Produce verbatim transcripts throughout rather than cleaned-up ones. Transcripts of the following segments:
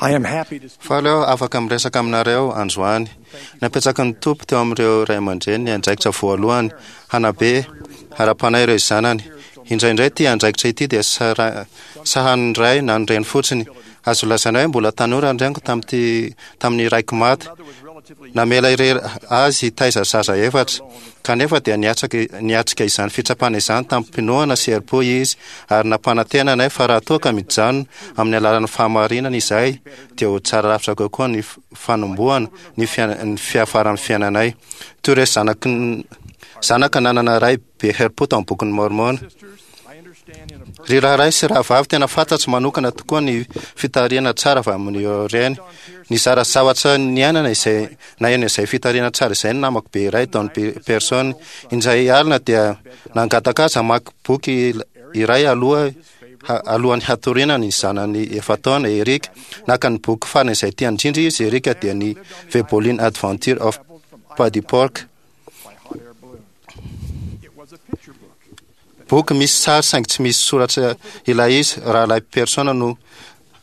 I am happy to Faly aho afaka miresaka aminareo androany. Napetraky ny Tompo teo amin'ireo ray aman-dreny ny andraikitra voalohany hanabe ara-panahy ireo zanany. Indraindray ity andraikitra ity dia sara- sahanin'ny ray na ny reny fotsiny. Azo lazaina hoe mbola tanora ny reniko tamin'ity tamin'ny raiko maty. Namela irery azy hitaiza zaza efatra. Kanefa dia niatrika niatrika izany fitsapana izany tamim-pinoana sy herim-po izy ary nampanantena anay fa raha toa ka mijanona amin'ny alalan'ny fahamarinana izahay dia ho tsara lavitra kokoa ny fanombohana ny fiaina- ny fiafaran'ny fiainanay. Toy ireo zanaky ny- zanaka nanana ray be herim-po tao amin'ny bokin'i Môrmôna. Ry rahalahy sy rahavavy, tena fantatro manokana tokoa ny fitarihana tsara avy amin'ireo reny. Nizara zavatra niainana izay naheno izay fitarihana tsara izay ny namako be iray, Don Pearson. Indray alina dia nangataka azy hamaky boky iray aloha alohan'ny hatoriana ny zanany efa-taona, Eric. Naka ny boky farany izay tiany indrindra izy, Eric, dia ny The Bolin Adventure of Paddy Pork. Boky misy sary saingy tsy misy soratra ilay izy. Rahalahy Pearson no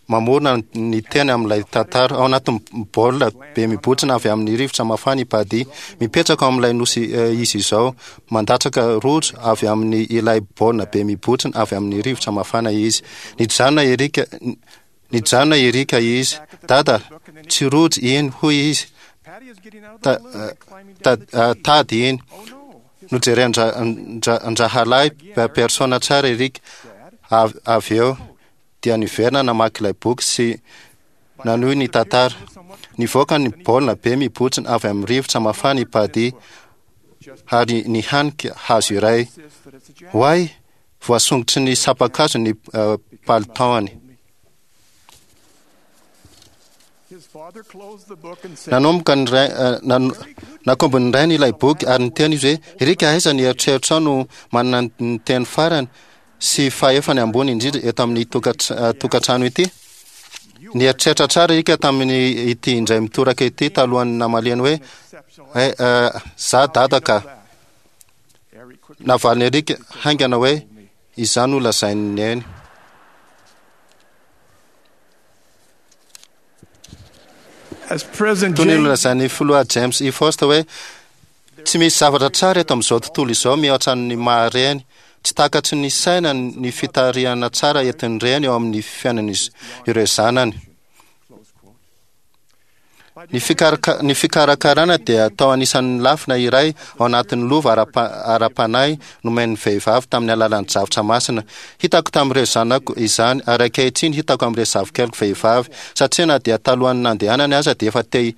mamorona ny teny amin'ilay tantara. Ao anatin'ny baolina be mibontsina avy amin'ny rivotra mafana i Paddy. Mipetraka ao amin'ilay nosy izy izao. Mandatsaka rojo avy amin'ny ilay baolina be mibontsina avy amin'ny rivotra mafana izy. Nijanona Eric, nijanona Eric izy. Dada, tsy rojo iny, hoy izy. Ta, ta, tady iny. Nojeren-drahalahy Pearson tsara Eric avy eo dia niverina namaky ilay boky sy nanohy ny tantara. Nivoaka ny baolina be mibontsina avy amin'ny rivotra mafana i Paddy ary nihanika hazo iray. Oay! Voasongotry ny sampan-kazo ny palitaony. Nanomboka ny ray, nakombon'ny rainy ilay boky ary niteny izy hoe, Eric, aiza ny eritreritrao no manana ny teny farany sy fahefany ambony indrindra eto amin'ny tokantrano ity? Nieritreritra tsara Eric tamin'ny ity indray mitoraka ity talohan'ny namaliany hoe, Eh, za dada ka. Navalin'i Eric haingana hoe, Izaho no lazain'i Neny. Toy ny nolazain'ny filoha James E. Faust hoe, Tsy misy zavatra tsara eto amin'izao tontolo izao mihoatra ny maha reny. Tsy takatry ny saina ny fitarihana tsara entin'ny reny eo amin'ny fiainan'ireo zanany. Ny fikaraka- ny fikarakarana dia atao anisan'ny lafina iray ao anatin'ny lova ara-pa- ara-panahy nomen'ny vehivavy tamin'ny alalan'ny drafitra masina. Hitako tamin'ireo zanako izany ary ankehitriny hitako amin'ireo zafikeliko vehivavy, satria na dia talohan'ny nandehanany aza dia efa te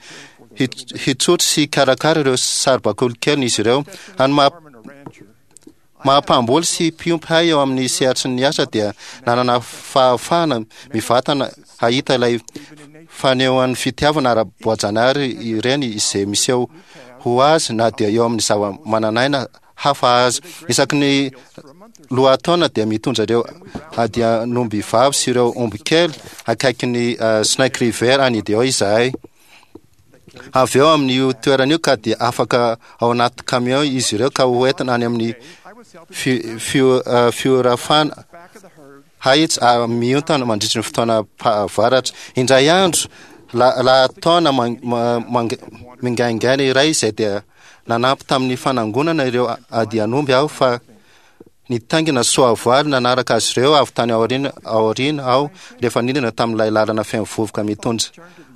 hitsotro sy hikarakara ireo saribakoly keliny izy ireo. Any maha Maha mpamboly sy mpiompy hay eo amin'ny sehatry ny asa dia nanana fahafahana mivantana hahita ilay fanehoan'ny fitiavana ara-boajanahary ireny izay miseho ho azy na dia eo amin'ny zava-manan'aina hafa aza. Isaky ny lohataona dia mitondra ireo adian'omby vavy sy ireo omby kely akaikin'ny Snake River any Idaho izahay. Avy eo amin'io toerana io ka dia afaka ao anaty camion izy ireo ka ho entina any amin'ny fiorafana hahitsy miontana mandritry ny fotoana pahavaratra. Indray andro, lahataona mingaingaina iray izay dia nanampy tamin'ny fanangonana ireo adian'omby aho fa Nitaingina soavaly nanaraka azy ireo avy tany aoriana aoriana aho rehefa nidina tamin'ilay lalana feno vovoka mitondra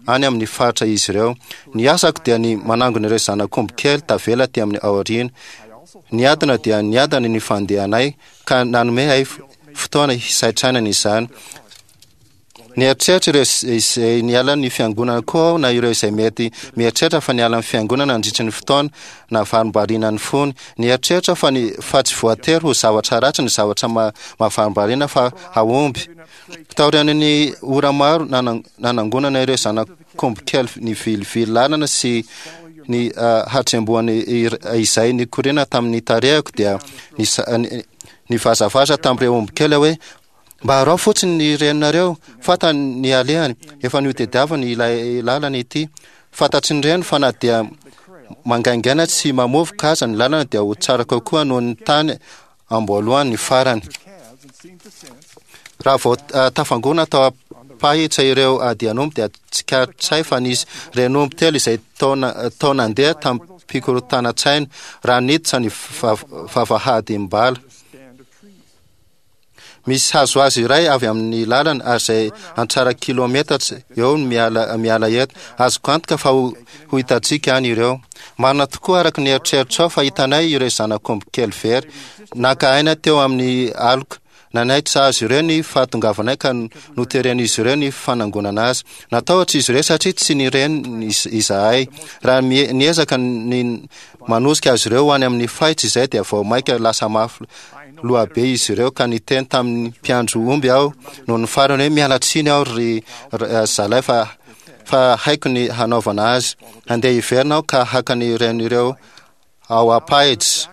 any amin'ny faritra izy ireo. Ny asako dia ny manangona ireo zanak'omby kely tavela aty amin'ny aoriana. Niadana dia niadana ny fandehanay ka nanome ahy fotoana hisaintsainana izany. Nieritreritra ireo izay niala ny fiangonana koa aho na ireo izay mety mieritreritra fa niala ny fiangonana nandritry ny fotoana nahavarimbariana ny fony. Nieritreritra aho fa ny fa tsy voatery ho zavatra ratsy ny zavatra mahavarimbariana fa hahomby. Taorian'ny ora maro nanangonana ireo zanak'omby kely nivilivily lalana sy ny hatsembohany izay nikoriana tamin'ny tarehiko dia nivazavaza tamin'ireo omby kely aho hoe, Mba araho fotsiny ny reninareo, fantany ny alehany, efa notediaviny ilay lalana ity. Fantatry ny reny fa na dia mangaingaina sy mamovoka aza ny lalana dia ho tsara kokoa noho ny tany amboalohany ny farany. Raha vao tafangona tao ampahitra ireo andian'omby dia tsikaritray fa nisy renomby telo izay taona tao nandeha tamin'ny-pikorotanan-tsaina raha niditra ny vavahadim-bala. Misy hazo azy iray avy amin'ny lalana ary izay antsara kilometatra eo ny miala miala eto. Azoko antoka fa ho, ho hitantsika any ireo. Marina tokoa araka ny eritreritrao fa hitanay ireo zanak'omby kely very. Naka aina teo amin'ny aloka. Nanaitra azy ireo ny fahatongavanay ka noteren'izy ireo ny fanangonana azy. Natahotra izy ireo satria tsy nireny izahay. Raha niezaka ny manosika azy ireo ho any amin'ny fahitra izay dia vao maika lasa mafy lohabe izy ireo ka niteny tamin'ny mpiandry omby aho noho ny farany hoe miala tsiny aho ry zalahy fa fa haiko ny hanaovana azy. Handeha hiverina aho ka haka ny ren'ireo ao ampahitra.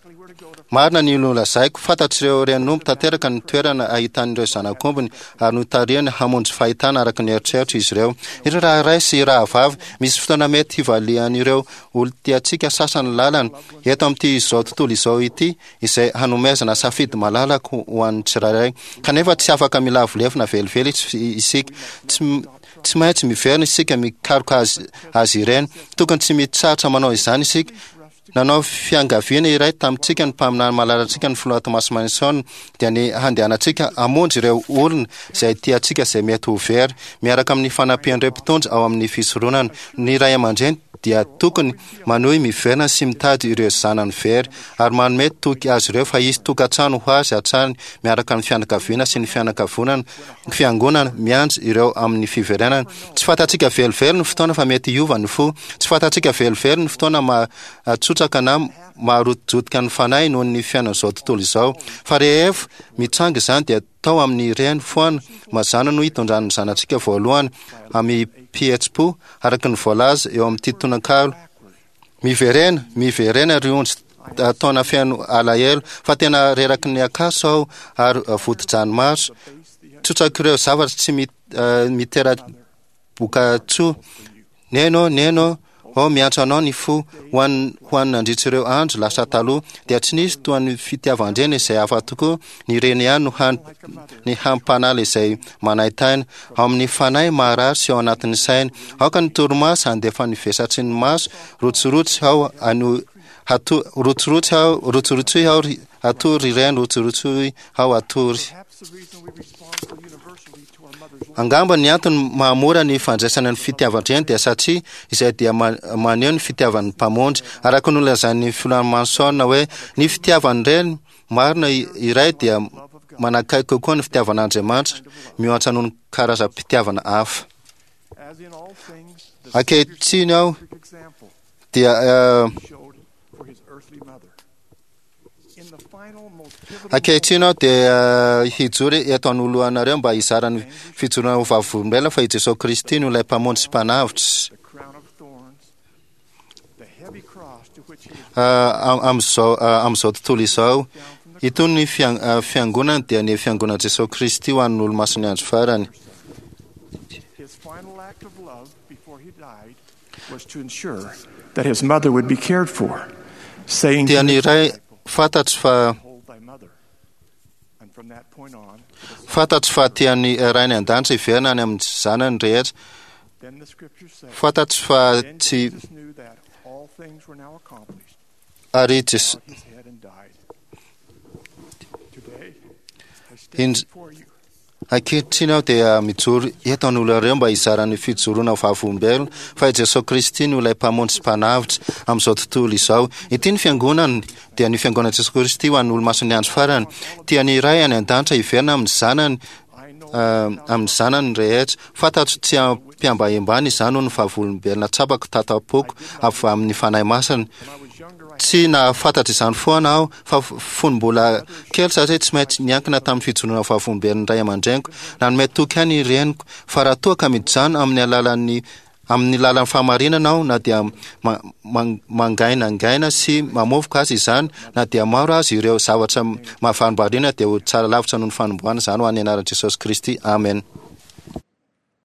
Marina ny nolazaiko, fantatr'ireo renomby tanteraka ny toerana ahitan'ireo zanak'ombiny ary notarihany hamonjy fahitana araka ny eritreritra izy ireo. Ireo raharahy sy rahavavy, misy fotoana mety hivalian'ireo olon-tiantsika sasany lalana eto amin'ity izao tontolo izao ity izay hanomezana safidy malalaka ho an'ny tsirairay. Kanefa tsy afaka milavolefona velively isika. Tsy tsy maintsy miverina isika mikaroka azy azy ireny. Tokony tsy mitsahatra manao izany isika. Nanao fiangaviana iray tamintsika ny mpaminany malalantsika ny filoha Thomas Monson dia ny handehanantsika hamonjy ireo olona izay tiantsika izay mety ho very miaraka amin'ny fanampian'ireo mpitondra ao amin'ny fisoronana. Ny ray aman-dreny dia tokony manohy miverina sy mitady ireo zanany very ary manome toky azy ireo fa hisy tokantrano ho azy hatrany miaraka amin'ny fianakaviana sy ny fianakavonana fiangonana miandry ireo amin'ny fiverenana. Tsy fantatsika velively ny fotoana fa mety hiova ny fo. Tsy fantatsika velively ny fotoana mahatsotraka na maharotojotika ny fanahy noho ny fiainan'izao tontolo izao. Fa rehefa mitranga izany dia tao amin'ny reny foana mazàna no hitondran'ny zanatsika voalohany amin'ny pihetsi-po araka ny voalaza eo amin'ity tononkalo. Miverena, miverena ry ondry taona feno alahelo fa tena reraky ny ankatso aho ary vodi-dranomaso. Tsotsak'ireo zavatra tsy mitera-bokatsoa. Neny ô, neny ô, ô miantso anao ny fo ho an ho an nandritra ireo andro lasa taloha dia tsy nisy toa ny fitiavan-dreny izay hafa tokoa. Ny reny ihany no han ny hampanala izay manaintaina ao amin'ny fanahy maharary sy ao anatin'ny saina. Aoka ny torimaso handefa ny vesatry ny maso rotsirotsy ao ano hato rotsirotsy ao rotsirotsy ao hatory reny rotsirotsy ao hatory. Angamba ny antony mahamora ny fandraisana ny fitiavan-dreny dia satria izay dia maneho ny fitiavan'ny mpamonjy. Araka ny nolazain'ny filoha Monson hoe ny fitiavan-dreny marina iray dia manakaiky kokoa ny fitiavan'Andriamanitra mihoatra noho ny karazam-pitiavana hafa. Ankehitriny aho dia ankehitriny aho dia hijoro eto anoloanareo mba hizara ny fijoroana ho vavolombelona fa i Jesosy Kristy no ilay mpamonjy sy mpanavotra. Amin'izao amin'izao tontolo izao, itony ny fiangonana dia ny fiangonan'i Jesosy Kristy ho an'ny olomasin'ny andro farany. Was to ensure that his mother would be cared for, saying Dia to ny his ray disciple, fantatro fa "Hold thy mother." And from that point on, the fantatro fa tian'ny rainy an-danitra hiverina any amin'ny zanany rehetra. then the scriptures say, Fantatro fa Then tsy Jesus knew that all things were now accomplished, ary Jes- bowed his head and died. Today, I stand In- before you Ankehitriny aho dia mijoro eto anoloanareo mba hizara ny fijoroana ho vavolombelona fa i Jesosy Kristy no ilay mpamonjy sy mpanavotra amin'izao tontolo izao. Ity ny fiangonany dia ny fiangonan'i Jesosy Kristy ho an'ny olomasin'ny andro farany. Tian'ny Ray any an-danitra hiverina amin'ny zanany I know uh, amin'ny zanany rehetra. Fantatro tsy ampiambahembana izany ho ny vavolombelona tsapako tatapoako avy amin'ny Fanahy Masina. when I was younger, I Tsy nahafantatra izany foana aho fa fony mbola kely satria tsy maintsy niankina tamin'ny fijoroana vavolombelon'ny ray aman-dreniko. Nanome toky ahy ny reniko fa raha toa ka mijanona amin'ny alalan'ny amin'ny lalan'ny fahamarinana aho na dia ma- man- mangainangaina sy mamovoka azy izany na dia maro azy ireo zavatra mahavarimbariana dia ho tsara lavitra noho ny fanombohana izany ho an'ny anaran'i Jesosy Kristy. Amen.